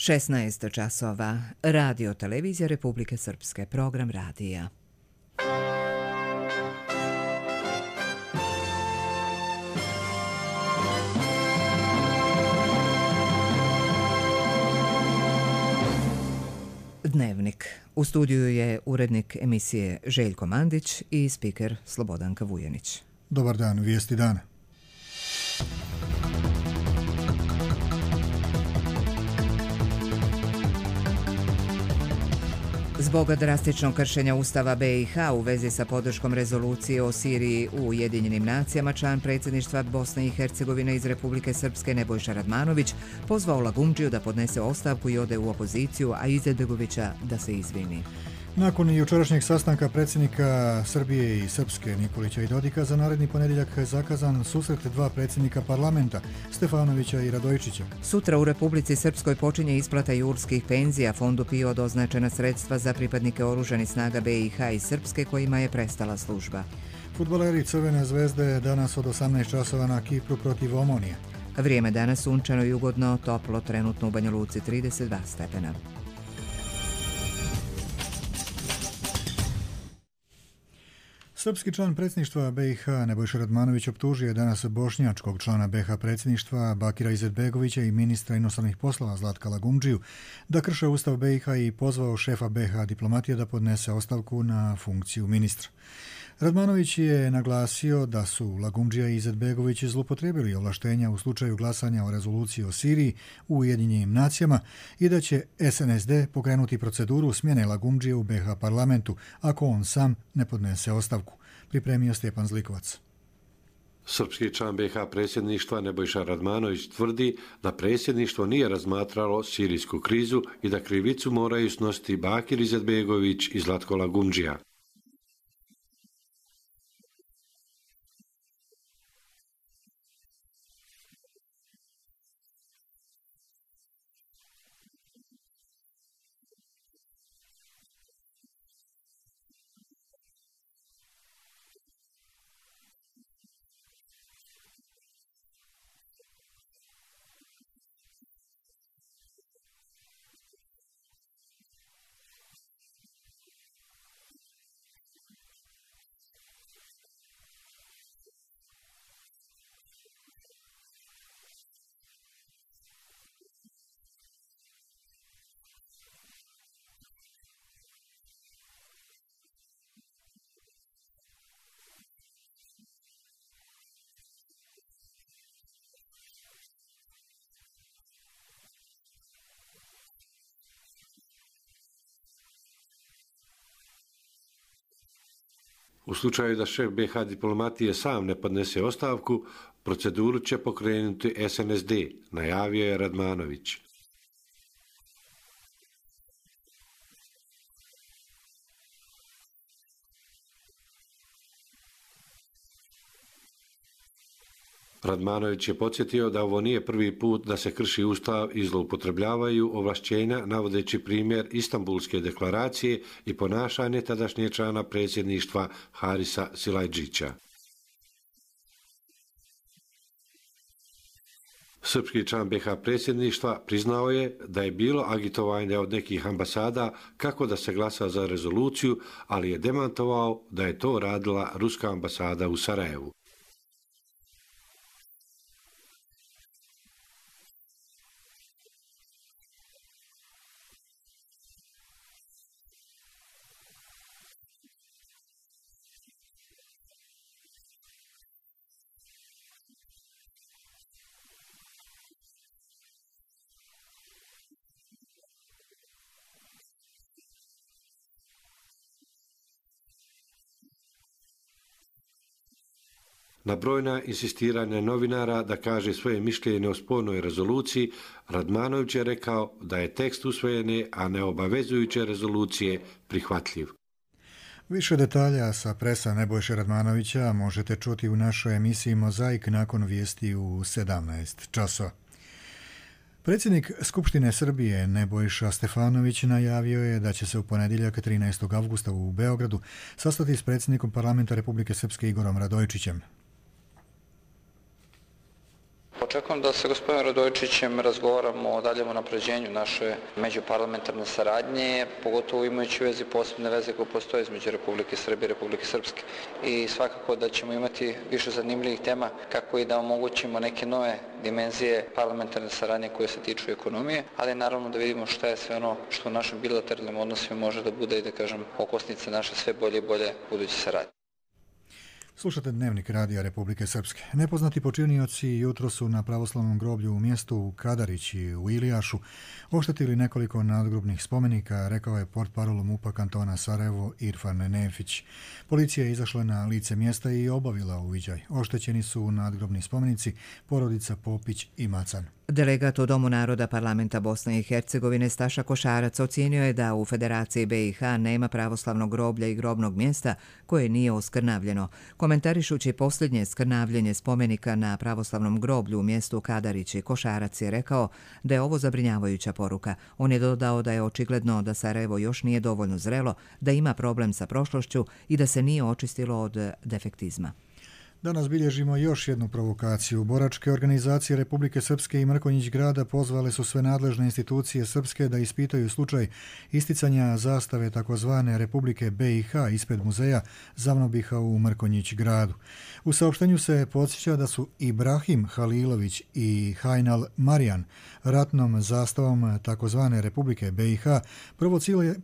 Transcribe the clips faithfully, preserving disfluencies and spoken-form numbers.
šesnaest časova. Radio televizija Republike Srpske. Program radija. Dnevnik. U studiju je urednik emisije Željko Mandić i spiker Slobodanka Vujanić. Dobar dan, vijesti dana. Zbog drastičnog kršenja Ustava be i ha u vezi sa podrškom rezolucije o Siriji u Ujedinjenim nacijama, član predsjedništva Bosne i Hercegovine iz Republike Srpske Nebojša Radmanović pozvao Lagumdžiju da podnese ostavku i ode u opoziciju, a Izetbegovića da se izvini. Nakon jučerašnjeg sastanka predsjednika Srbije i Srpske Nikolića i Dodika, za naredni ponedjeljak je zakazan susret dva predsjednika parlamenta, Stefanovića i Radojičića. Sutra u Republici Srpskoj počinje isplata jurskih penzija. Fondu PIO doznačena sredstva za pripadnike oružanih snaga be i ha i Srpske kojima je prestala služba. Fudbaleri Crvene zvezde danas od osamnaest časova na Kipru protiv Omonije. Vrijeme danas sunčano i ugodno, toplo, trenutno u Banja Luci trideset dva stepena. Srpski član predsjedništva be i ha Nebojša Radmanović optužio je danas bošnjačkog člana be ha predsjedništva Bakira Izetbegovića i ministra inostranih poslova Zlatka Lagumdžiju da krše Ustav be i ha i pozvao šefa be ha diplomatije da podnese ostavku na funkciju ministra. Radmanović je naglasio da su Lagumdžija i Izetbegović zloupotrijebili ovlaštenja u slučaju glasanja o rezoluciji o Siriji u Ujedinjenim nacijama i da će es en es de pokrenuti proceduru smjene Lagumdžije u be ha parlamentu ako on sam ne podnese ostavku, pripremio Stjepan Zlikovac. Srpski član be ha predsjedništva Nebojša Radmanović tvrdi da predsjedništvo nije razmatralo sirijsku krizu i da krivicu moraju snositi Bakir Izetbegović i Zlatko Lagumdžija. U slučaju da šef be ha diplomatije sam ne podnese ostavku, proceduru će pokrenuti es en es de, najavio je Radmanović. Radmanović je podsjetio da ovo nije prvi put da se krši Ustav i zloupotrebljavaju ovlašćenja, navodeći primjer Istanbulske deklaracije i ponašanje tadašnje člana predsjedništva Harisa Silajdžića. Srpski član be ha predsjedništva priznao je da je bilo agitovanje od nekih ambasada kako da se glasa za rezoluciju, ali je demantovao da je to radila ruska ambasada u Sarajevu. Na brojna insistiranja novinara da kaže svoje mišljenje o spornoj rezoluciji, Radmanović je rekao da je tekst usvojene, a ne obavezujuće rezolucije prihvatljiv. Više detalja sa presa Nebojše Radmanovića možete čuti u našoj emisiji Mozaik nakon vijesti u sedamnaest časova. Predsjednik Skupštine Srbije Nebojša Stefanović najavio je da će se u ponedjeljak trinaestog avgusta u Beogradu sastati s predsjednikom parlamenta Republike Srpske Igorom Radojičićem. Očekujem da sa gospodinom Radojičićem razgovaramo o daljem unapređenju naše međuparlamentarne saradnje, pogotovo imajući u vezi posebne veze koje postoje između Republike Srbije i Republike Srpske. I svakako da ćemo imati više zanimljivih tema kako i da omogućimo neke nove dimenzije parlamentarne saradnje koje se tiču ekonomije, ali naravno da vidimo šta je sve ono što u našim bilateralnim odnosima može da bude i da kažem okosnica naše sve bolje i bolje buduće saradnje. Slušate Dnevnik Radija Republike Srpske. Nepoznati počinioci jutro su na pravoslavnom groblju u mjestu Kadarići u Ilijašu oštetili nekoliko nadgrobnih spomenika, rekao je portparol MUP-a kantona Sarajevo Irfan Nefić. Policija je izašla na lice mjesta i obavila uviđaj. Oštećeni su nadgrobni spomenici porodica Popić i Macan. Delegat u Domu naroda Parlamenta Bosne i Hercegovine Staša Košarac ocijenio je da u Federaciji B i H nema pravoslavnog groblja i grobnog mjesta koje nije oskrnavljeno. Komentarišući posljednje skrnavljenje spomenika na pravoslavnom groblju u mjestu Kadarići, Košarac je rekao da je ovo zabrinjavajuća poruka. On je dodao da je očigledno da Sarajevo još nije dovoljno zrelo, da ima problem sa prošlošću i da se nije očistilo od defektizma. Danas bilježimo još jednu provokaciju. Boračke organizacije Republike Srpske i Mrkonjić grada pozvale su sve nadležne institucije Srpske da ispitaju slučaj isticanja zastave takozvane Republike B i H ispred muzeja Zavnobiha u Mrkonjić gradu. U saopštenju se podsjeća da su Ibrahim Halilović i Hajnal Marijan ratnom zastavom takozvane Republike B i H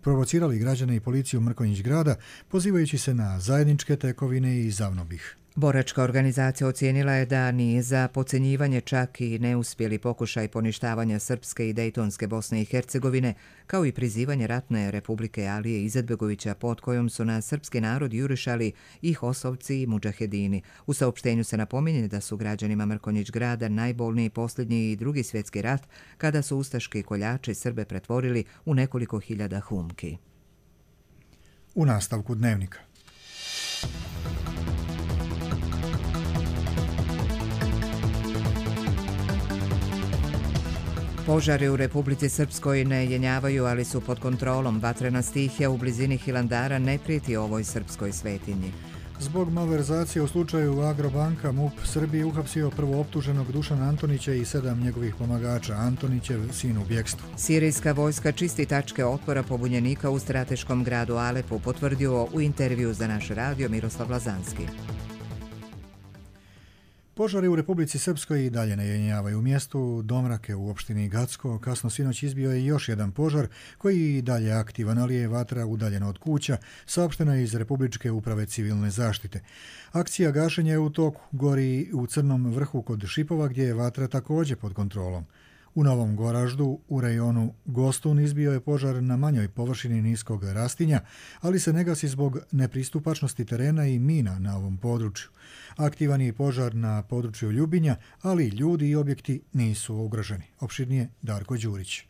provocirali građane i policiju Mrkonjić grada pozivajući se na zajedničke tekovine i Zavnobih. Boračka organizacija ocijenila je da ni za podcenjivanje čak i neuspjeli pokušaj poništavanja Srpske i Dejtonske Bosne i Hercegovine, kao i prizivanje ratne Republike Alije Izetbegovića pod kojom su na srpski narod jurišali i Hosovci i Mudžahedini. U saopštenju se napominje da su građanima Mrkonjić grada najbolniji posljednji i drugi svjetski rat kada su ustaški koljači Srbe pretvorili u nekoliko hiljada humki. U nastavku Dnevnika. Požari u Republici Srpskoj ne jenjavaju, ali su pod kontrolom. Vatrena stihija u blizini Hilandara ne prijeti ovoj srpskoj svetinji. Zbog malverzacije u slučaju Agrobanka MUP Srbije uhapsio prvo optuženog Dušana Antonića i sedam njegovih pomagača. Antonićev sin u bjekstvu. Sirijska vojska čisti tačke otpora pobunjenika u strateškom gradu Alepu, potvrdio u intervju za naš radio Miroslav Lazanski. Požari u Republici Srpskoj i dalje ne jenjavaju. U mjestu Domrake u opštini Gacko kasno sinoć izbio je još jedan požar koji i dalje aktivan, ali je vatra udaljena od kuća, saopšteno je iz Republičke uprave civilne zaštite. Akcija gašenja je u toku, gori u Crnom vrhu kod Šipova gdje je vatra također pod kontrolom. U Novom Goraždu, u rejonu Gostun, izbio je požar na manjoj površini niskog rastinja, ali se ne gasi zbog nepristupačnosti terena i mina na ovom području. Aktivan je požar na području Ljubinja, ali ljudi i objekti nisu ugroženi. Opširnije Darko Đurić.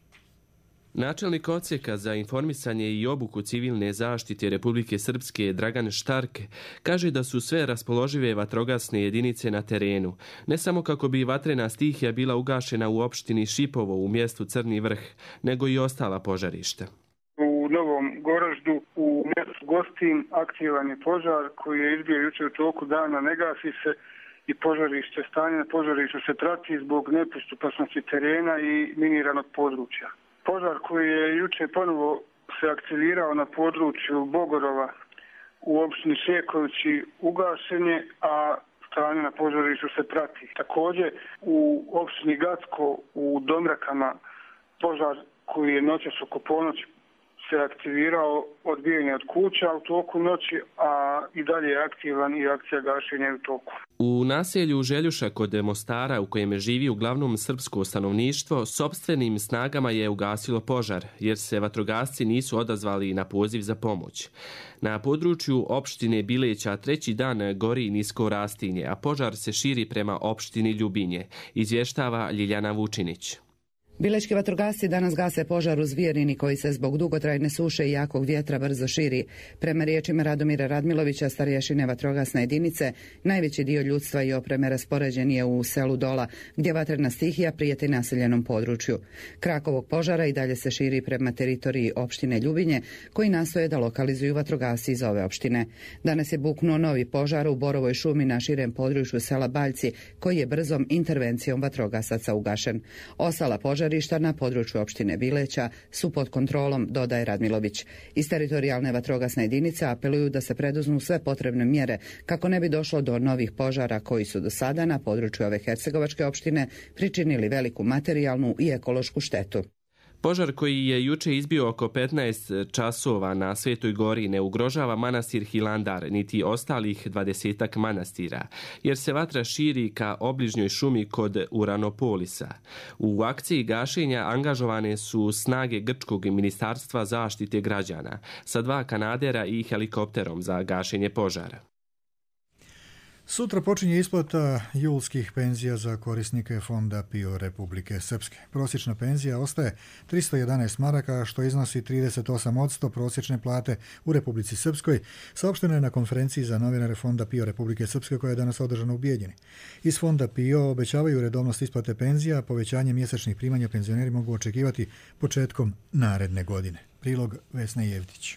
Načelnik odsjeka za informisanje i obuku civilne zaštite Republike Srpske Dragan Štark kaže da su sve raspoložive vatrogasne jedinice na terenu, ne samo kako bi vatrena stihija bila ugašena u opštini Šipovo u mjestu Crni vrh, nego i ostala požarišta. U Novom Goraždu u mjestu Gostin aktivan je požar koji je izbio jučer u toku dana, ne gasi se i požarište, stanje na požarištu se prati zbog nepristupačnosti terena i miniranog područja. Požar koji je juče ponovo se aktivirao na području Bogorova u opštini Šekovići ugašen je, a stanje na požarištu se prati. Također u opštini Gacko u Domrakama požar koji je noćas oko ponoći se aktivirao odbijanje od kuća u toku noći, a i dalje je aktivan i akcija gašenja u toku. U naselju Željuša kod Mostara, u kojem živi uglavnom srpsko stanovništvo, sopstvenim snagama je ugasilo požar, jer se vatrogasci nisu odazvali na poziv za pomoć. Na području opštine Bileća treći dan gori nisko rastinje, a požar se širi prema opštini Ljubinje, izvještava Ljiljana Vučinić. Bilečki vatrogasci danas gase požar u Zvijerini koji se zbog dugotrajne suše i jakog vjetra brzo širi. Prema riječima Radomira Radmilovića, starješine vatrogasne jedinice, najveći dio ljudstva i opreme raspoređen je u selu Dola, gdje vatrena stihija prijeti naseljenom području. Krak ovog požara i dalje se širi prema teritoriji opštine Ljubinje, koji nastoje da lokalizuju vatrogasci iz ove opštine. Danas je buknuo novi požar u Borovoj šumi na širem području sela Baljci, koji je brzom intervencijom vatrogasaca ugašen. Ostala požar na području opštine Bileća su pod kontrolom, dodaje Radmilović. Iz teritorijalne vatrogasne jedinice apeluju da se preduzmu sve potrebne mjere kako ne bi došlo do novih požara koji su do sada na području ove hercegovačke opštine pričinili veliku materijalnu i ekološku štetu. Požar koji je juče izbio oko petnaest časova na Svetoj gori ne ugrožava manastir Hilandar niti ostalih dvadesetak manastira, jer se vatra širi ka obližnjoj šumi kod Uranopolisa. U akciji gašenja angažovane su snage Grčkog ministarstva zaštite građana sa dva kanadera i helikopterom za gašenje požara. Sutra počinje isplata julskih penzija za korisnike Fonda PIO Republike Srpske. Prosječna penzija ostaje tristo jedanaest maraka, što iznosi trideset osam posto prosječne plate u Republici Srpskoj, saopšteno je na konferenciji za novinare Fonda PIO Republike Srpske koja je danas održana u Bijeljini. Iz Fonda PIO obećavaju redovnost isplate penzija, povećanje mjesečnih primanja penzioneri mogu očekivati početkom naredne godine. Prilog Vesna Jevtić.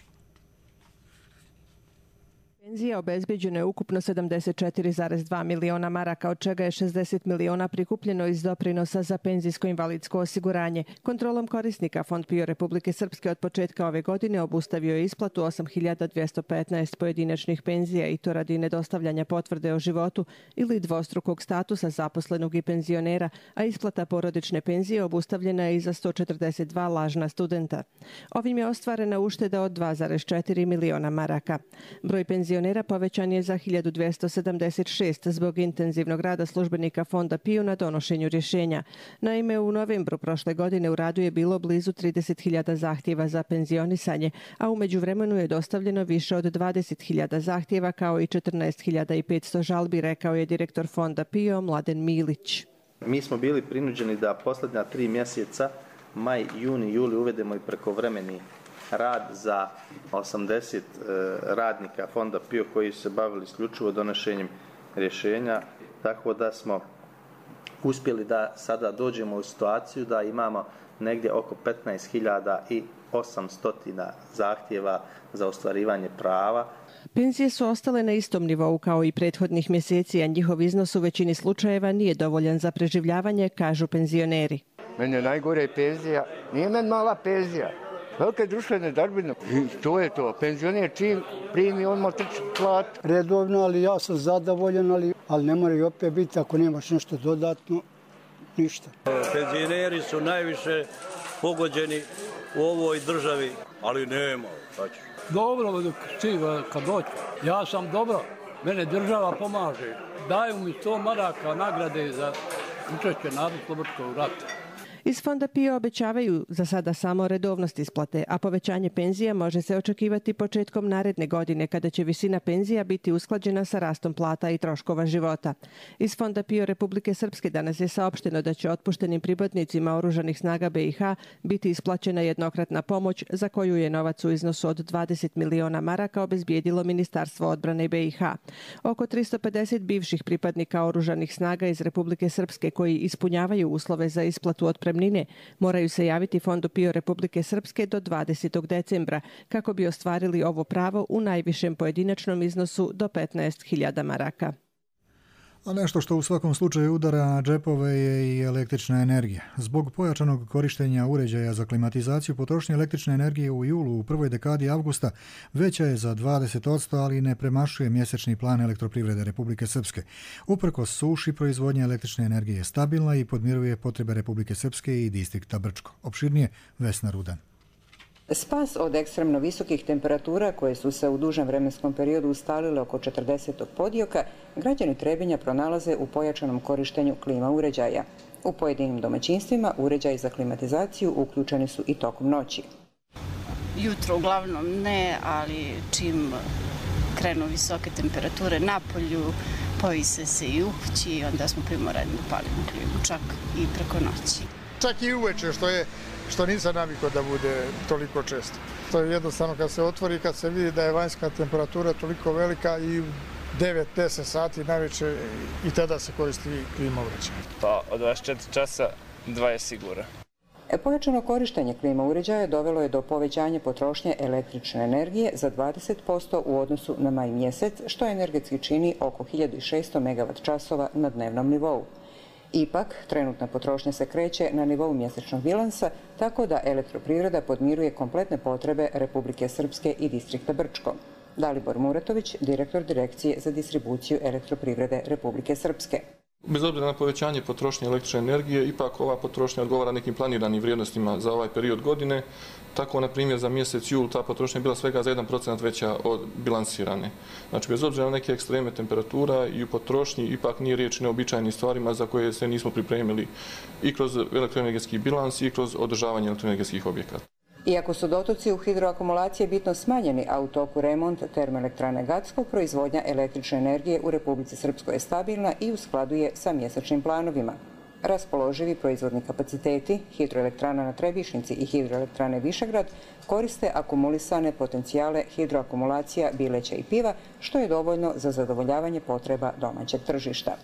Penzija obezbeđeno je ukupno sedamdeset četiri zarez dva miliona maraka, od čega je šezdeset miliona prikupljeno iz doprinosa za penzijsko-invalidsko osiguranje. Kontrolom korisnika Fond PIO Republike Srpske od početka ove godine obustavio je isplatu osam hiljada dvjesto petnaest pojedinačnih penzija i to radi nedostavljanja potvrde o životu ili dvostrukog statusa zaposlenog i penzionera, a isplata porodične penzije obustavljena je i za sto četrdeset dva lažna studenta. Ovim je ostvarena ušteda od dva zarez četiri miliona maraka. Broj penzionera povećan je za hiljadu dvjesto sedamdeset šest zbog intenzivnog rada službenika Fonda PIO na donošenju rješenja. Naime, u novembru prošle godine u radu je bilo blizu trideset hiljada zahtjeva za penzionisanje, a u međuvremenu je dostavljeno više od dvadeset hiljada zahtjeva kao i četrnaest hiljada petsto žalbi, rekao je direktor Fonda PIO Mladen Milić. Mi smo bili prinuđeni da posljednja tri mjeseca, maj, juni, juli, uvedemo i prekovremeni rad za osamdeset radnika Fonda PIO koji su se bavili isključivo donošenjem rješenja, tako da smo uspjeli da sada dođemo u situaciju da imamo negdje oko petnaest hiljada osamsto zahtjeva za ostvarivanje prava. Penzije su ostale na istom nivou kao i prethodnih mjeseci, a njihov iznos u većini slučajeva nije dovoljan za preživljavanje, kažu penzioneri. Meni je najgore penzija, nije meni mala penzija. Velike društvene darbine. I to je to. Penzioner čim primi, on mu trči plat. Redovno, ali ja sam zadovoljan, ali, ali ne mora i opet biti ako nemaš nešto dodatno, ništa. Penzioneri su najviše pogođeni u ovoj državi, ali nema. Dobro, dok stiga kad dođu. Ja sam dobro, mene država pomaže. Daju mi sto maraka nagrade za učešće narodnooslobodilačkog rata. Iz Fonda PIO obećavaju za sada samo redovnost isplate, a povećanje penzija može se očekivati početkom naredne godine kada će visina penzija biti usklađena sa rastom plata i troškova života. Iz Fonda PIO Republike Srpske danas je saopšteno da će otpuštenim pripadnicima oružanih snaga B i H biti isplaćena jednokratna pomoć za koju je novac u iznosu od dvadeset miliona maraka obezbijedilo Ministarstvo odbrane B i H. Oko tristo pedeset bivših pripadnika oružanih snaga iz Republike Srpske koji ispunjavaju uslove za isplatu otpremnine moraju se javiti Fondu PIO Republike Srpske do dvadesetog decembra kako bi ostvarili ovo pravo u najvišem pojedinačnom iznosu do petnaest hiljada maraka. A nešto što u svakom slučaju udara na džepove je i električna energija. Zbog pojačanog korištenja uređaja za klimatizaciju, potrošnja električne energije u julu u prvoj dekadi avgusta veća je za dvadeset posto, ali ne premašuje mjesečni plan Elektroprivrede Republike Srpske. Uprkos suši, proizvodnja električne energije je stabilna i podmiruje potrebe Republike Srpske i distrikta Brčko. Opširnije Vesna Rudan. Spas od ekstremno visokih temperatura koje su se u dužem vremenskom periodu ustalile oko četrdesetog podioka, građani Trebinja pronalaze u pojačanom korištenju klima uređaja. U pojedinim domaćinstvima uređaji za klimatizaciju uključeni su i tokom noći. Jutro uglavnom ne, ali čim krenu visoke temperature na polju, povise se i u kući i onda smo primorani da palimo klimu čak i preko noći. čak i uveče, što je što nisam navikao da bude toliko često. To je jednostavno kad se otvori, kad se vidi da je vanjska temperatura toliko velika i u devet deset sati najveće i tada se koristi klima uređaja. Pa od dvadeset četiri časa dva je sigurno. Pojačano korištenje klima uređaja dovelo je do povećanja potrošnje električne energije za dvadeset posto u odnosu na maj mjesec, što energetski čini oko hiljadu šesto megavat časova na dnevnom nivou. Ipak, trenutna potrošnja se kreće na nivou mjesečnog bilansa, tako da elektroprivreda podmiruje kompletne potrebe Republike Srpske i distrikta Brčko. Dalibor Muratović, direktor Direkcije za distribuciju elektroprivrede Republike Srpske. Bez obzira na povećanje potrošnje električne energije, ipak ova potrošnja odgovara nekim planiranim vrijednostima za ovaj period godine. Tako, na primjer, za mjesec jul ta potrošnja je bila svega za jedan procenat veća od bilansirane. Znači, bez obzira na neke ekstreme temperatura i u potrošnji, ipak nije riječ o neobičajnim stvarima za koje se nismo pripremili i kroz elektroenergetski bilans i kroz održavanje elektroenergetskih objekata. Iako su dotoci u hidroakumulacije bitno smanjeni, a u toku remont termoelektrane Gacko, proizvodnja električne energije u Republici Srpskoj je stabilna i u skladu je sa mjesečnim planovima. Raspoloživi proizvodni kapaciteti hidroelektrana na Trebišnici i hidroelektrane Višegrad koriste akumulisane potencijale hidroakumulacija Bileća i Piva, što je dovoljno za zadovoljavanje potreba domaćeg tržišta.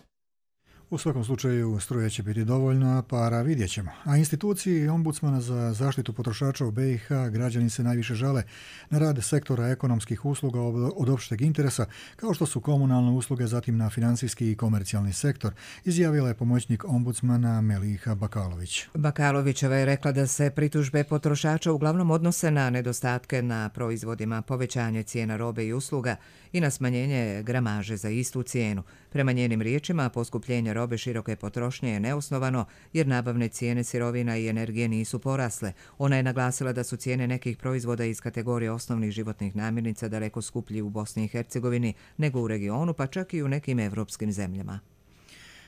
U svakom slučaju struje će biti dovoljno, a para vidjet ćemo. A instituciji ombudsmana za zaštitu potrošača u B i H građani se najviše žale na rad sektora ekonomskih usluga od opšteg interesa, kao što su komunalne usluge, zatim na financijski i komercijalni sektor, izjavila je pomoćnik ombudsmana Meliha Bakalović. Bakalovićeva je rekla da se pritužbe potrošača uglavnom odnose na nedostatke na proizvodima, povećanje cijena robe i usluga i na smanjenje gramaže za istu cijenu. Prema njenim riječima, poskupljenje robe široke potrošnje je neosnovano jer nabavne cijene sirovina i energije nisu porasle. Ona je naglasila da su cijene nekih proizvoda iz kategorije osnovnih životnih namirnica daleko skuplji u Bosni i Hercegovini nego u regionu, pa čak i u nekim evropskim zemljama.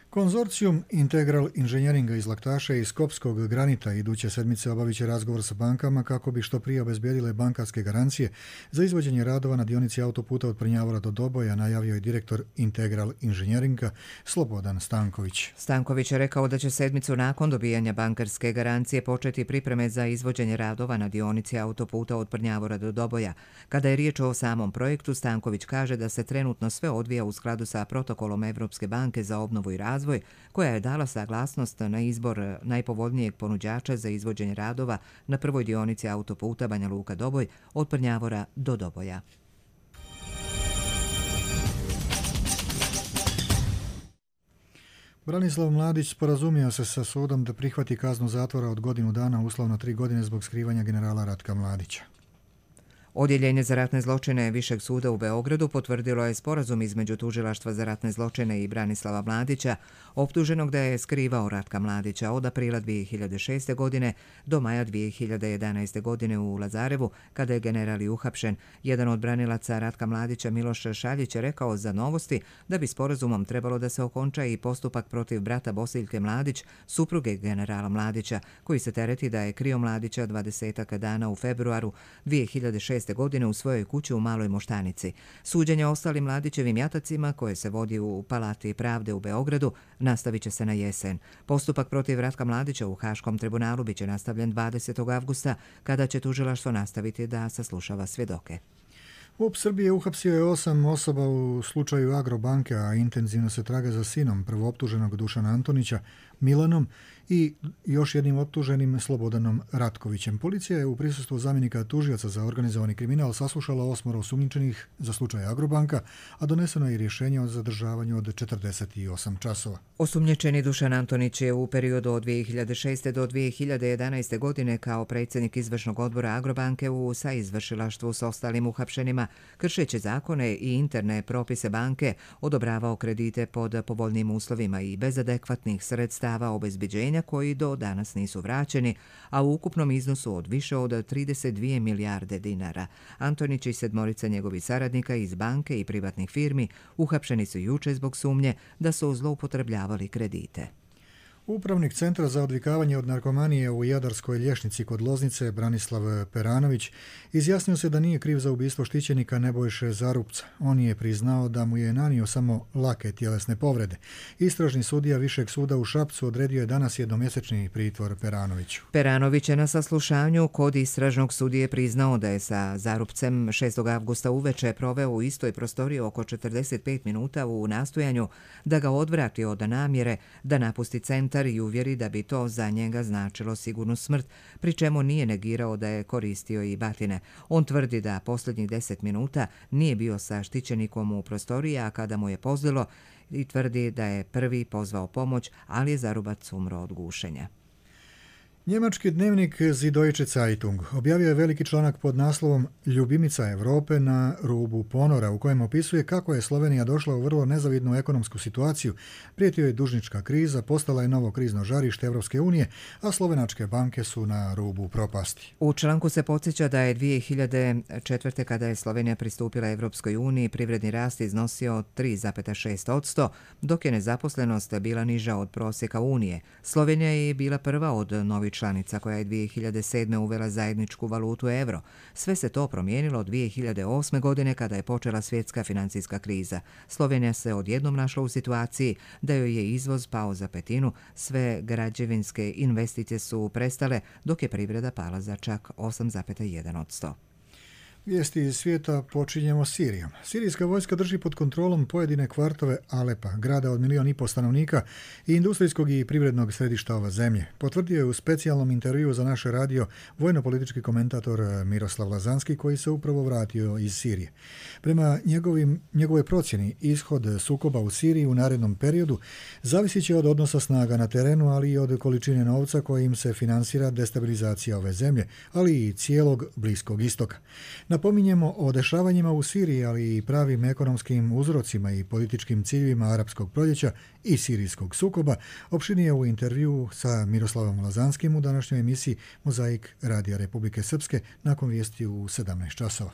Konzorcijum Integral inženjeringa iz Laktaša i Skopskog granita iduće sedmice obavit će razgovor sa bankama kako bi što prije obezbijedile bankarske garancije za izvođenje radova na dionici autoputa od Prnjavora do Doboja, najavio je direktor Integral inženjeringa Slobodan Stanković. Stanković je rekao da će sedmicu nakon dobijanja bankarske garancije početi pripreme za izvođenje radova na dionici autoputa od Prnjavora do Doboja. Kada je riječ o samom projektu, Stanković kaže da se trenutno sve odvija u skladu sa protokolom Evropske banke za obnovu i razvoj, koja je dala saglasnost na izbor najpovoljnijeg ponuđača za izvođenje radova na prvoj dionici autoputa Banja Luka-Doboj od Prnjavora do Doboja. Branislav Mladić sporazumio se sa sudom da prihvati kaznu zatvora od godinu dana, uslovno tri godine zbog skrivanja generala Ratka Mladića. Odjeljenje za ratne zločine Višeg suda u Beogradu potvrdilo je sporazum između Tužilaštva za ratne zločine i Branislava Mladića, optuženog da je skrivao Ratka Mladića od aprila dvije hiljade šeste. godine do maja dvije hiljade jedanaeste. godine u Lazarevu, kada je general i uhapšen. Jedan od branilaca Ratka Mladića, Miloš Šaljić, je rekao za Novosti da bi sporazumom trebalo da se okonča i postupak protiv brata Bosiljke Mladić, supruge generala Mladića, koji se tereti da je krio Mladića dvadesetak dana u februaru dvije hiljade šeste. godine u svojoj kući u Maloj Moštanici. Suđenje ostalim Mladićevim jatacima, koje se vodi u Palati pravde u Beogradu, nastavit će se na jesen. Postupak protiv Ratka Mladića u Haškom tribunalu biće nastavljen dvadesetog avgusta, kada će tužilaštvo nastaviti da saslušava svjedoke. U U P Srbije uhapsio je osam osoba u slučaju Agrobanke, a intenzivno se traga za sinom prvooptuženog Dušana Antonića, Milanom, i još jednim optuženim Slobodanom Ratkovićem. Policija je u prisustvu zamjenika tužioca za organizovani kriminal saslušala osmoro osumnjičenih za slučaj Agrobanka, a doneseno je i rješenje o zadržavanju od četrdeset osam časova. Osumnjičeni Dušan Antonić je u periodu od dvije hiljade šeste. do dvije hiljade jedanaeste. godine kao predsjednik izvršnog odbora Agrobanke u saizvršilaštvu s ostalim uhapšenima, kršeći zakone i interne propise banke, odobravao kredite pod povoljnim uslovima i bez adekvatnih sredstava obezbeđenja koji do danas nisu vraćeni, a u ukupnom iznosu od više od trideset dvije milijarde dinara. Antonić i sedmorica njegovih saradnika iz banke i privatnih firmi uhapšeni su juče zbog sumnje da su zloupotrebljavali kredite. Upravnik Centra za odvikavanje od narkomanije u Jadarskoj Lješnici kod Loznice, Branislav Peranović, izjasnio se da nije kriv za ubistvo štićenika Nebojše Zarupca. On je priznao da mu je nanio samo lake tjelesne povrede. Istražni sudija Višeg suda u Šapcu odredio je danas jednomjesečni pritvor Peranoviću. Peranović je na saslušanju kod istražnog sudije priznao da je sa Zarupcem šestog avgusta uveče proveo u istoj prostoriji oko četrdeset pet minuta u nastojanju da ga odvrati od namjere da napusti centar i uvjeri da bi to za njega značilo sigurnu smrt, pri čemu nije negirao da je koristio i batine. On tvrdi da posljednjih deset minuta nije bio sa štićenikom u prostoriji, a kada mu je pozlilo, i tvrdi da je prvi pozvao pomoć, ali je Zarubac umro od gušenja. Njemački dnevnik Die Deutsche Zeitung objavio je veliki članak pod naslovom Ljubimica Europe na rubu ponora, u kojem opisuje kako je Slovenija došla u vrlo nezavidnu ekonomsku situaciju, prijetio je dužnička kriza, postala je novo krizno žarište Evropske unije, a slovenačke banke su na rubu propasti. U članku se podsjeća da je dvije hiljade četvrte. kada je Slovenija pristupila Evropskoj uniji, privredni rast iznosio tri zarez šest posto, dok je nezaposlenost bila niža od prosjeka Unije. Slovenija je bila prva od novih članica koja je dvije hiljade sedme. uvela zajedničku valutu euro. Sve se to promijenilo dvije hiljade osme. godine kada je počela svjetska financijska kriza. Slovenija se odjednom našla u situaciji da joj je izvoz pao za petinu, sve građevinske investicije su prestale, dok je privreda pala za čak osam zarez jedan posto. Vijesti iz svijeta počinjemo Sirijom. Sirijska vojska drži pod kontrolom pojedine kvartove Alepa, grada od milijon i pol stanovnika i industrijskog i privrednog središta ove zemlje. Potvrdio je u specijalnom intervjuu za naše radio vojno-politički komentator Miroslav Lazanski, koji se upravo vratio iz Sirije. Prema njegovim, njegove procjeni, ishod sukoba u Siriji u narednom periodu zavisit će od odnosa snaga na terenu, ali i od količine novca kojim se finansira destabilizacija ove zemlje, ali i cijelog Bliskog istoka. Napominjemo o dešavanjima u Siriji, ali i pravim ekonomskim uzrocima i političkim ciljevima arapskog proljeća i sirijskog sukoba, opširnije u intervjuu sa Miroslavom Lazanskim u današnjoj emisiji Mozaik Radija Republike Srpske nakon vijesti u sedamnaest časova.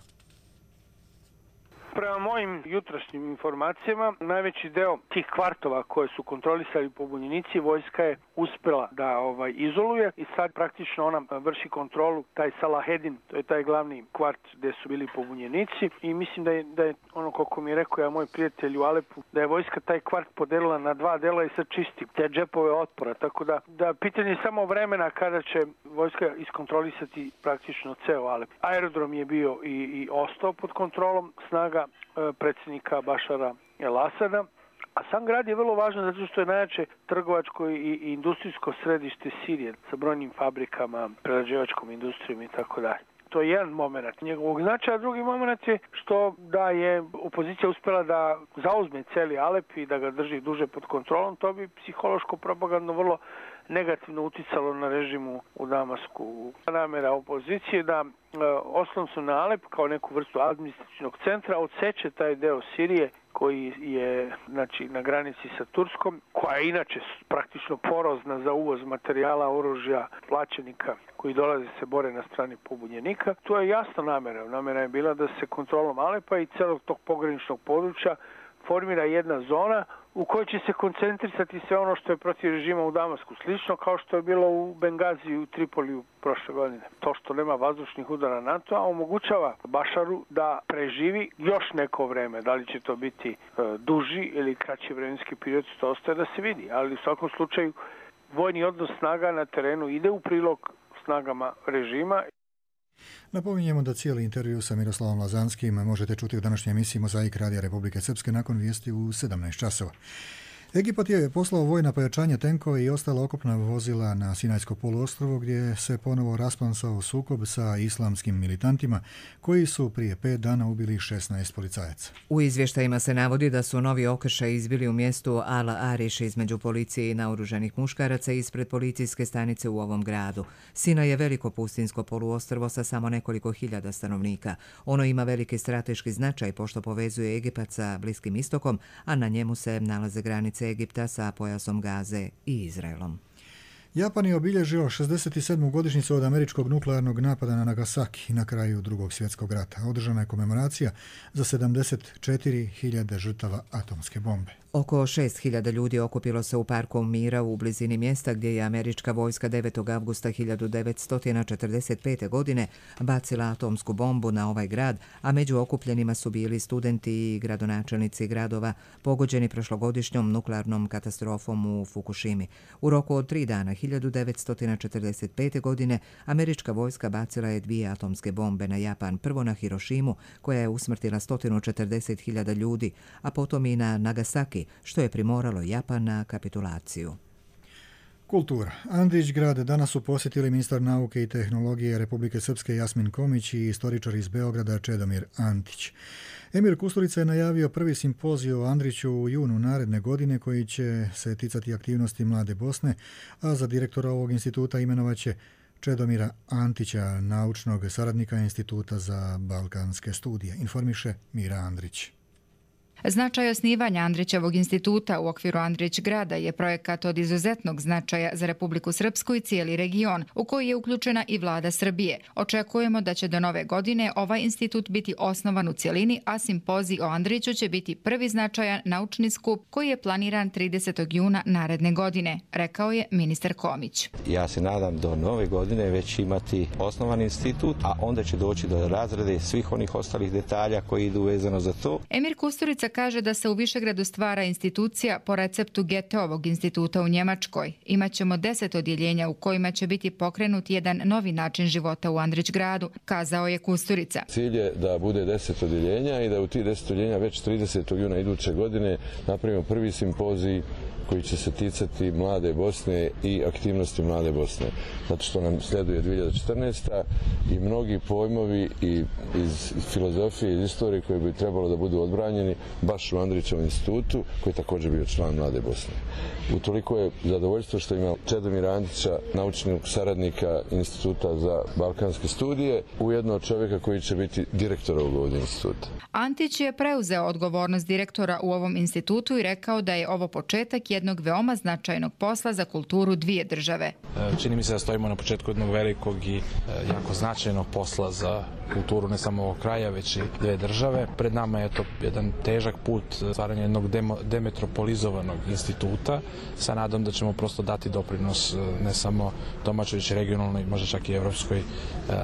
Prema mojim jutrašnjim informacijama, najveći deo tih kvartova koje su kontrolisali pobunjenici, vojska je uspjela da ovaj izoluje i sad praktično ona vrši kontrolu, taj Salahedin, to je taj glavni kvart gdje su bili pobunjenici, i mislim da je, da je ono koliko mi je rekao ja moj prijatelj u Alepu, da je vojska taj kvart podelila na dva dela i sad čisti te džepove otpora, tako da, da pitanje je samo vremena kada će vojska iskontrolisati praktično ceo Alep. Aerodrom je bio i, i ostao pod kontrolom snaga predsjednika Bašara el-Asada, a sam grad je vrlo važan zato što je najjače trgovačko i, i industrijsko središte Sirije sa brojnim fabrikama, prerađivačkom industrijom i tako dalje. To je jedan moment njegovog značaja, a drugi moment je što da je opozicija uspjela da zauzme cijeli Alep i da ga drži duže pod kontrolom, to bi psihološko propagandno vrlo negativno uticalo na režimu u Damasku. Namjera opozicije da e, oslon su na Alep kao neku vrstu administrativnog centra odseče taj deo Sirije koji je znači, na granici sa Turskom, koja je inače praktično porozna za uvoz materijala, oružja, plaćenika koji dolaze se bore na strani pobunjenika. To je jasna namjera. Namjera je bila da se kontrolom Alepa i celog tog pograničnog područja formira jedna zona u kojoj će se koncentrisati sve ono što je protiv režima u Damasku. Slično kao što je bilo u Bengaziju i u Tripoliju prošle godine. To što nema vazdušnih udara NATO-a omogućava Bašaru da preživi još neko vreme. Da li će to biti e, duži ili kraći vremenski period, to ostaje da se vidi. Ali u svakom slučaju vojni odnos snaga na terenu ide u prilog snagama režima. Napominjemo da cijeli intervju sa Miroslavom Lazanskim možete čuti u današnjoj emisiji Mozaik Radija Republike Srpske nakon vijesti u sedamnaest časova. Egipat je poslao vojna pojačanja tenkove i ostala okopna vozila na Sinajsko poluostrvo gdje se ponovo rasplamsao sukob sa islamskim militantima koji su prije pet dana ubili šesnaest policajaca. U izvještajima se navodi da su novi okršaj izbili u mjestu Al-Ariš između policije i naoružanih muškaraca ispred policijske stanice u ovom gradu. Sinaj je veliko pustinsko poluostrvo sa samo nekoliko hiljada stanovnika. Ono ima veliki strateški značaj pošto povezuje Egipat sa Bliskim istokom, a na njemu se nalaze granice Egipta sa pojasom Gaze i Izraelom. Japan je obilježio šezdeset sedmu godišnjicu od američkog nuklearnog napada na Nagasaki na kraju Drugog svjetskog rata. Održana je komemoracija za sedamdeset četiri hiljade žrtava atomske bombe. Oko šest hiljada ljudi okupilo se u Parku mira u blizini mjesta gdje je američka vojska devetog avgusta hiljadu devetsto četrdeset pete. godine bacila atomsku bombu na ovaj grad, a među okupljenima su bili studenti i gradonačelnici gradova pogođeni prošlogodišnjom nuklearnom katastrofom u Fukushimi. U roku od tri dana hiljadu devetsto četrdeset pete. godine američka vojska bacila je dvije atomske bombe na Japan, prvo na Hirošimu koja je usmrtila sto četrdeset hiljada ljudi, a potom i na Nagasaki, što je primoralo Japan na kapitulaciju. Kultura. Andrić grad danas su posjetili ministar nauke i tehnologije Republike Srpske Jasmin Komić i istoričar iz Beograda Čedomir Antić. Emir Kusturica je najavio prvi simpozij o Andriću u junu naredne godine koji će se ticati aktivnosti Mlade Bosne, a za direktora ovog instituta imenovaće Čedomira Antića, naučnog saradnika Instituta za balkanske studije, informiše Mira Andrić. Značaj osnivanja Andrićevog instituta u okviru Andrić grada je projekat od izuzetnog značaja za Republiku Srpsku i cijeli region, u koji je uključena i vlada Srbije. Očekujemo da će do nove godine ovaj institut biti osnovan u cjelini, a simpozij o Andriću će biti prvi značajan naučni skup koji je planiran tridesetog juna naredne godine, rekao je ministar Komić. Ja se nadam do nove godine već imati osnovan institut, a onda će doći do razrede svih onih ostalih detalja koji idu vezano za to. Emir Kusturica kaže da se u Višegradu stvara institucija po receptu Goetheovog instituta u Njemačkoj. Imaćemo deset odjeljenja u kojima će biti pokrenut jedan novi način života u Andrić gradu, kazao je Kusturica. Cilj je da bude deset odjeljenja i da u tih deset odjeljenja već tridesetog juna iduće godine napravimo prvi simpozij koji će se ticati Mlade Bosne i aktivnosti Mlade Bosne. Zato što nam sleduje dvije hiljade četrnaesta. i mnogi pojmovi i iz filozofije, iz istorije koje bi trebalo da budu odbranjeni baš u Andrićevom institutu, koji je također bio član Mlade Bosne. Utoliko je zadovoljstvo što ima Čedomira Antića, naučnog saradnika Instituta za balkanske studije, ujedno čovjeka koji će biti direktor ovog instituta. Antić je preuzeo odgovornost direktora u ovom institutu i rekao da je ovo početak jednog veoma značajnog posla za kulturu dvije države. Čini mi se da stojimo na početku jednog velikog i jako značajnog posla za kulturu ne samo ovog kraja, već i dve države. Pred nama je to jedan težak put stvaranja jednog demetropolizovanog instituta sa nadom da ćemo prosto dati doprinos ne samo domaćoj, već regionalnoj, možda čak i evropskoj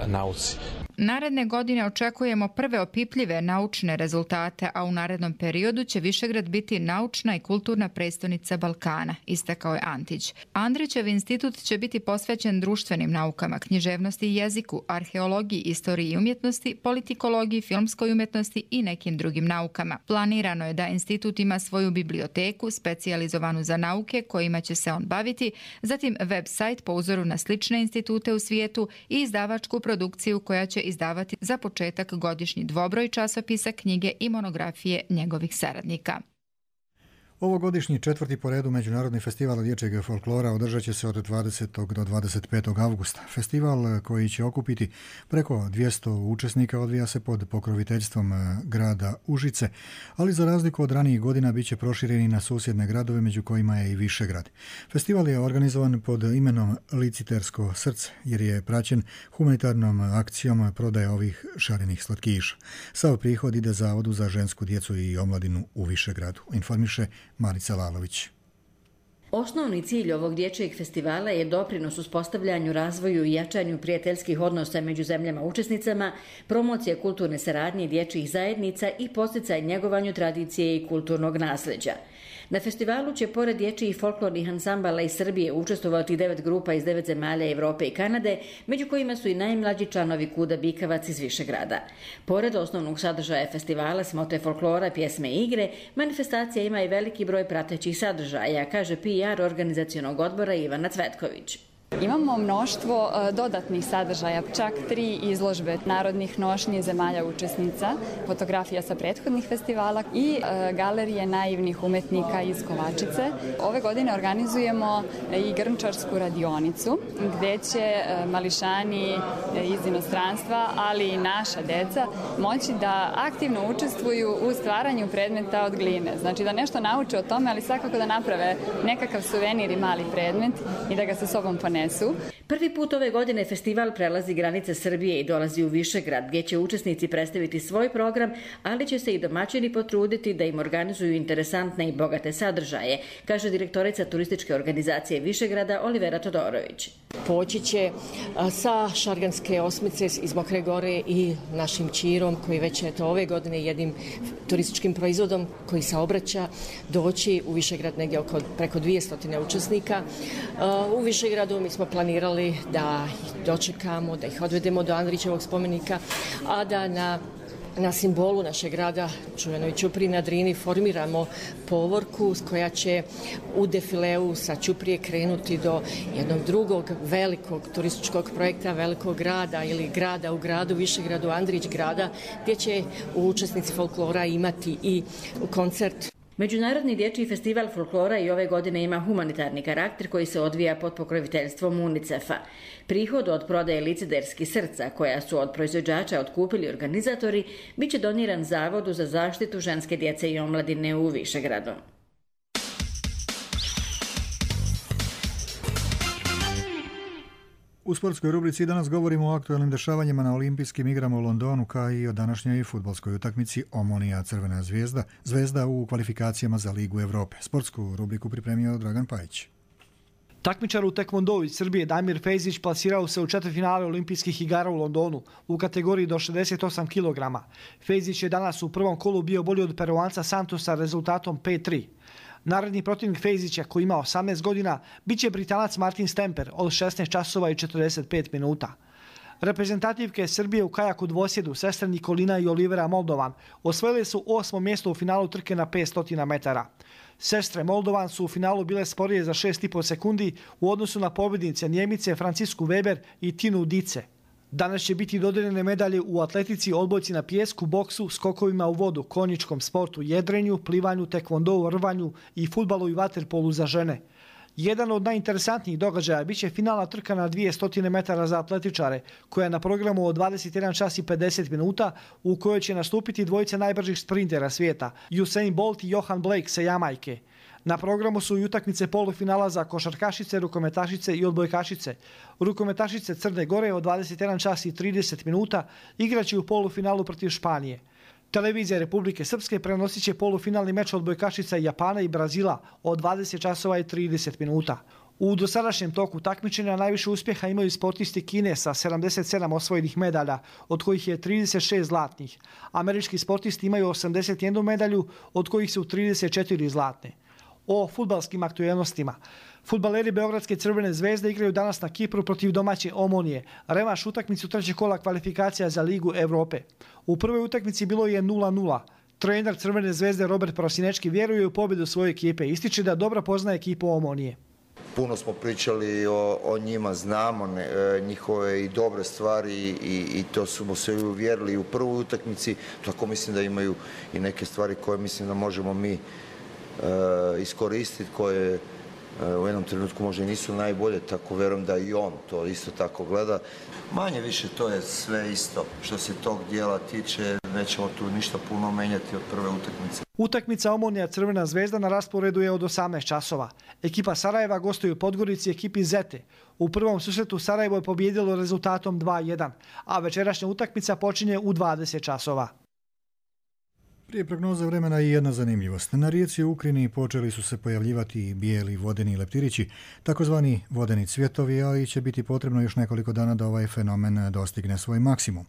nauci. Naredne godine očekujemo prve opipljive naučne rezultate, a u narednom periodu će Višegrad biti naučna i kulturna prestonica Balkana, istakao je Antić. Andrićev institut će biti posvećen društvenim naukama, književnosti i jeziku, arheologiji, istoriji i umjetnosti, politikologiji, filmskoj umjetnosti i nekim drugim naukama. Planirano je da institut ima svoju biblioteku, specijalizovanu za nauke kojima će se on baviti, zatim web sajt po uzoru na slične institute u svijetu i izdavačku produkciju koja će izdavati za početak godišnji dvobroj časopisa, knjige i monografije njegovih saradnika. Ovogodišnji četvrti po redu Međunarodni festival dječjeg folklora održat će se od dvadesetog do dvadeset petog avgusta. Festival koji će okupiti preko dvjesto učesnika odvija se pod pokroviteljstvom grada Užice, ali za razliku od ranijih godina bit će prošireni na susjedne gradove, među kojima je i Višegrad. Festival je organizovan pod imenom Licitersko srce, jer je praćen humanitarnom akcijom prodaje ovih šarenih slatkiša. Sav prihod ide Zavodu za žensku djecu i omladinu u Višegradu, informiše Marica Lalović. Osnovni cilj ovog dječjeg festivala je doprinos uspostavljanju, razvoju i jačanju prijateljskih odnosa među zemljama učesnicama, promocija kulturne saradnje dječjih zajednica i podsticaj njegovanju tradicije i kulturnog nasljeđa. Na festivalu će pored dječjih folklornih ansambala iz Srbije učestvovati devet grupa iz devet zemalja Evrope i Kanade, među kojima su i najmlađi članovi Kuda Bikavac iz Višegrada. Pored osnovnog sadržaja festivala, smote folklora, pjesme i igre, manifestacija ima i veliki broj pratećih sadržaja, kaže P R organizacionog odbora Ivana Cvetković. Imamo mnoštvo dodatnih sadržaja, čak tri izložbe narodnih nošnji zemalja učesnica, fotografija sa prethodnih festivala i galerije naivnih umetnika iz Kovačice. Ove godine organizujemo i grnčarsku radionicu gdje će mališani iz inostranstva, ali i naša deca moći da aktivno učestvuju u stvaranju predmeta od gline. Znači da nešto nauče o tome, ali svakako da naprave nekakav suvenir i mali predmet i da ga sa sobom ponesu. Prvi put ove godine festival prelazi granice Srbije i dolazi u Višegrad, gdje će učesnici predstaviti svoj program, ali će se i domaćini potruditi da im organizuju interesantne i bogate sadržaje, kaže direktorica turističke organizacije Višegrada Olivera Todorović. Poći će sa Šarganske osmice iz Mokre Gore i našim Čirom, koji već eto ove godine jednim turističkim proizvodom koji se obraća, doći u Višegrad negdje oko preko dvjesto učesnika. U Višegradu mi smo planirali da ih dočekamo, da ih odvedemo do Andrićevog spomenika, a da na Na simbolu našeg grada, čuvenoj Ćupriji na Drini, formiramo povorku koja će u defileu sa Ćuprije krenuti do jednog drugog velikog turističkog projekta, velikog grada ili grada u gradu, Višegradu, Andrić grada, gdje će učesnici folklora imati i koncert. Međunarodni dječji festival folklora i ove godine ima humanitarni karakter koji se odvija pod pokroviteljstvom UNICEF-a. Prihod od prodaje licederskih srca, koja su od proizvođača otkupili organizatori, bit će doniran Zavodu za zaštitu ženske djece i omladine u Višegradu. U sportskoj rubrici danas govorimo o aktualnim dešavanjima na olimpijskim igrama u Londonu, kao i o današnjoj fudbalskoj utakmici Omonija Crvena zvezda, zvezda u kvalifikacijama za Ligu Evrope. Sportsku rubriku pripremio Dragan Pajić. Takmičar u tekvondou iz Srbije Damir Fejzić plasirao se u četvrtfinale olimpijskih igara u Londonu u kategoriji do šezdeset osam kilograma. Fejzić je danas u prvom kolu bio bolji od Peruanca Santosa rezultatom pet tri. Naredni protivnik Fejzića, koji ima osamnaest godina, bit će Britanac Martin Stemper od šesnaest časova i četrdeset pet minuta. Reprezentativke Srbije u kajaku dvosjedu, sestre Nikolina i Olivera Moldovan, osvojile su osmo mjesto u finalu trke na petsto metara. Sestre Moldovan su u finalu bile sporije za šest i po sekundi u odnosu na pobjednice Njemice Francisku Weber i Tinu Dice. Danas će biti dodeljene medalje u atletici, odbojci na pijesku, boksu, skokovima u vodu, konjičkom sportu, jedrenju, plivanju, tekvondou, rvanju i fudbalu i vaterpolu za žene. Jedan od najinteresantnijih događaja biće finalna trka na dvjesto metara za atletičare, koja je na programu od dvadeset jedan čas i pedeset minuta, u kojoj će nastupiti dvojica najbržih sprintera svijeta, Usain Bolt i Johan Blake sa Jamajke. Na programu su i utakmice polufinala za košarkašice, rukometašice i odbojkašice. Rukometašice Crne Gore od dvadeset jedan čas i trideset minuta igraće u polufinalu protiv Španije. Televizija Republike Srpske prenosit će polufinalni meč odbojkašica Japana i Brazila od dvadeset časova i trideset minuta. U dosadašnjem toku takmičenja najviše uspjeha imaju sportisti Kine sa sedamdeset sedam osvojenih medalja, od kojih je trideset šest zlatnih. Američki sportisti imaju osamdeset jednu medalju, od kojih su trideset četiri zlatne. O fudbalskim aktuelnostima. Fudbaleri Beogradske Crvene zvezde igraju danas na Kipru protiv domaće Omonije, revanš utakmicu trećeg kola kvalifikacija za Ligu Evrope. U prvoj utakmici bilo je nula nula. Trener Crvene zvezde Robert Prosinečki vjeruje u pobjedu svoje ekipe, ističe da dobro poznaje ekipu Omonije. Puno smo pričali o, o njima, znamo ne, njihove i dobre stvari i, i to smo se uvjerili u prvoj utakmici, tako mislim da imaju i neke stvari koje mislim da možemo mi iskoristiti, koje u jednom trenutku možda nisu najbolje, tako verujem da i on to isto tako gleda. Manje više to je sve isto. Što se tog dijela tiče, nećemo tu ništa puno menjati od prve utakmice. Utakmica Omonija Crvena zvezda na rasporedu je od osamnaest časova. Ekipa Sarajeva gostuje u Podgorici ekipi Zete. U prvom susretu Sarajevo je pobjedilo rezultatom dva jedan, a večerašnja utakmica počinje u dvadeset časova. Prije prognoze vremena i jedna zanimljivost. Na rijeci u Ukrini počeli su se pojavljivati bijeli vodeni leptirići, takozvani vodeni cvjetovi, ali će biti potrebno još nekoliko dana da ovaj fenomen dostigne svoj maksimum.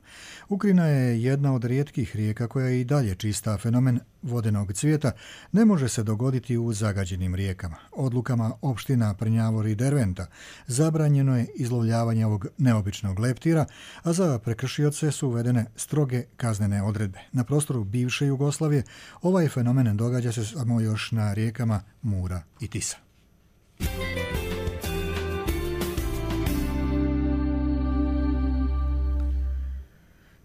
Ukrina je jedna od rijetkih rijeka koja je i dalje čista. Fenomen vodenog cvjeta ne može se dogoditi u zagađenim rijekama. Odlukama opština Prnjavor i Derventa zabranjeno je izlovljavanje ovog neobičnog leptira, a za prekršioce su uvedene stroge kaznene odredbe. Na prostoru bivše Jugoslavije ovaj fenomen događa se samo još na rijekama Mura i Tisa.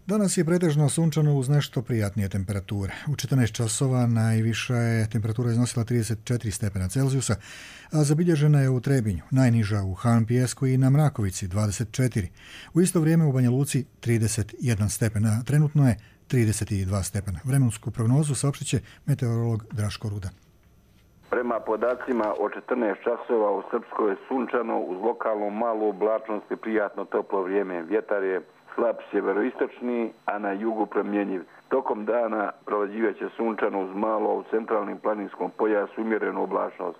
Danas je pretežno sunčano uz nešto prijatnije temperature. U četrnaest časova najviša je temperatura iznosila trideset četiri stepena Celzijusa, a zabilježena je u Trebinju, najniža u Han Pijesku i na Mrakovici dvadeset četiri. U isto vrijeme u Banja Luci trideset jedan stepen, a trenutno je trideset dva stepena. Vremensku prognozu saopštit će meteorolog Draško Rudan. Prema podacima od četrnaest časova u Srpskoj je sunčano uz lokalnu malu oblačnost i prijatno toplo vrijeme. Vjetar je slab sjeveroistočni, a na jugu promjenjiv. Tokom dana prolazivaće sunčano uz malo, u centralnim planinskom pojasu umjerenu oblačnost.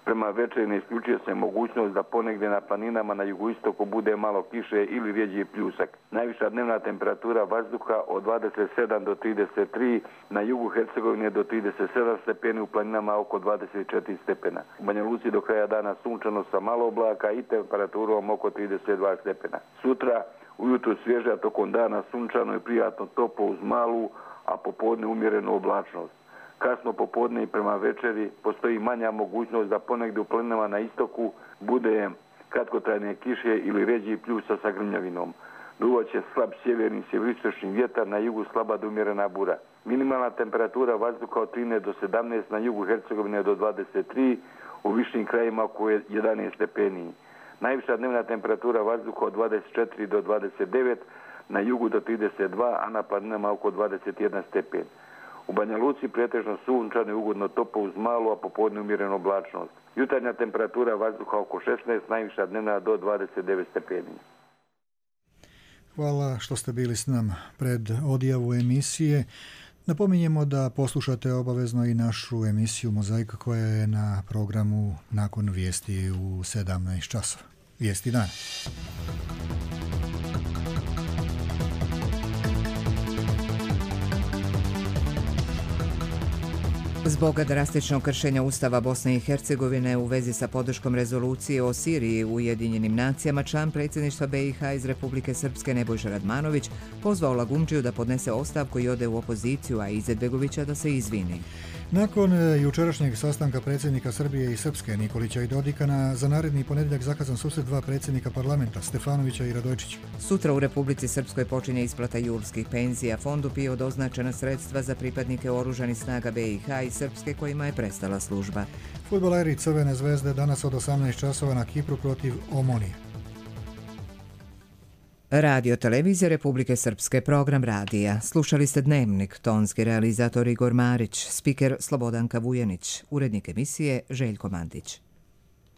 Prema večeri ne isključuje se mogućnost da ponegdje na planinama na jugoistoku bude malo kiše ili rjeđi pljusak. Najviša dnevna temperatura vazduha od dvadeset sedam do trideset tri, na jugu Hercegovine do trideset sedam stepeni, u planinama oko dvadeset četiri stepena. U Banja Luci do kraja dana sunčano sa malo oblaka i temperaturom oko trideset dva stepena. Sutra ujutru svježa, tokom dana sunčano i prijatno toplo uz malu, a popodne umjerenu oblačnost. Kasno popodne i prema večeri postoji manja mogućnost da ponegdje u planinama na istoku bude kratkotrajne kiše ili ređi pljusa sa grmljavinom. Duvaće slab sjeverni sjeveroistočni vjetar, na jugu slaba do umjerena bura. Minimalna temperatura vazduha od trinaest do sedamnaest, na jugu Hercegovine do dvadeset tri, u višim krajima oko jedanaest stepeni. Najviša dnevna temperatura vazduha od dvadeset četiri do dvadeset devet, na jugu do trideset dva, a na planinama oko dvadeset jedan stepen. U Banja Luci pretežno sunčano i ugodno toplo uz malu, a popodne umjerenu oblačnost. Jutarnja temperatura vazduha oko šesnaest, najviša dnevna do dvadeset devet stepeni. Hvala što ste bili s nama pred odjavu emisije. Napominjemo da poslušate obavezno i našu emisiju Mozaika koja je na programu nakon vijesti u sedamnaest časova. Vijesti dana. Zbog drastičnog kršenja Ustava Bosne i Hercegovine u vezi sa podrškom rezolucije o Siriji u Ujedinjenim nacijama, član predsjedništva B i H iz Republike Srpske Nebojša Radmanović pozvao Lagumdžiju da podnese ostavku i ode u opoziciju, a Izetbegovića da se izvini. Nakon jučerašnjeg sastanka predsjednika Srbije i Srpske Nikolića i Dodika, za naredni ponedjeljak zakazan susret dva predsjednika parlamenta, Stefanovića i Radojčića. Sutra u Republici Srpskoj počinje isplata julskih penzija. Fondu PIO doznačena sredstva za pripadnike oružanih snaga B i H i Srpske kojima je prestala služba. Fudbaleri Crvene zvezde danas od osamnaest časova na Kipru protiv Omonije. Radio televizija Republike Srpske, program radija. Slušali ste Dnevnik, tonski realizator Igor Marić, spiker Slobodanka Vujanić, urednik emisije Željko Mandić.